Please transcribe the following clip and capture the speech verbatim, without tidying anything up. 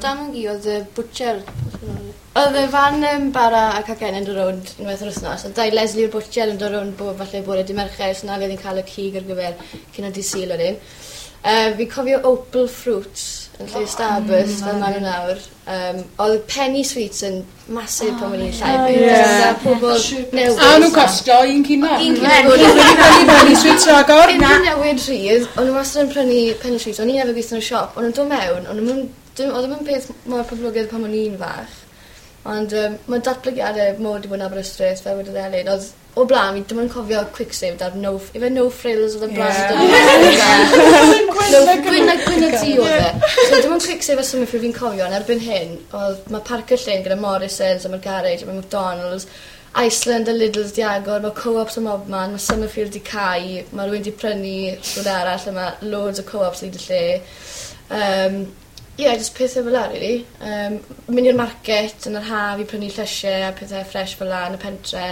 Dam-gu oedd y bwtsier. Oedd y fan yym bara a cacen yn dod rownd unwaith yr wthnos a Dai Lesley o'r bwtsier yn dod rownd bob falle bore dy' Mercher so 'na le o'n i'n ca'l y cig ar gyfer cinio dydd Sul wedyn. Yy fi'n cofio Opal Fruits yn lle Starburst fel ma' n'w nawr. Yym odd Penny Sweets yn massive pan o'n i'n llai 'fyd. Ie. A pobol newydd. A o'n nw'n costo un cino. Un cino. Prynu Penny Sweets ragor. Cyn newid rhydd o'n n'w wastad yn prynu Penny Sweets o'n i arfer gwitho yn y siop o'n nw'n do' mewn o'n nw'm yn dim odd o'm yn peth mor poblogaidd pan o'n i'n fach. Ond yym ma' datblygiade mowr 'di bod yn Aberystwyth fel wedodd Elin odd o bla'n fi dim ond cofio Kwik Save 'da'r no f- yfe no frills odd y brand? No gwyn a gwyn a du odd e. So dim ond Kwik Save a Summerfield fi'n cofio on' erbyn hyn odd ma' Parc y Llyn gyda Morrisons a ma'r garej a ma' McDonalds Iceland a Lidls 'di agor ma' Co-ops ym mobman ma' Summerfield 'di cau ma' rywun 'di prynu rhywle arall a ma' loads o Co-ops hyd y lle. Yym ie jyst pethe fel 'a rili. Yym mynd i'r market yn yr haf i prynu llysie a pethe ffres fel 'a yn y pentre.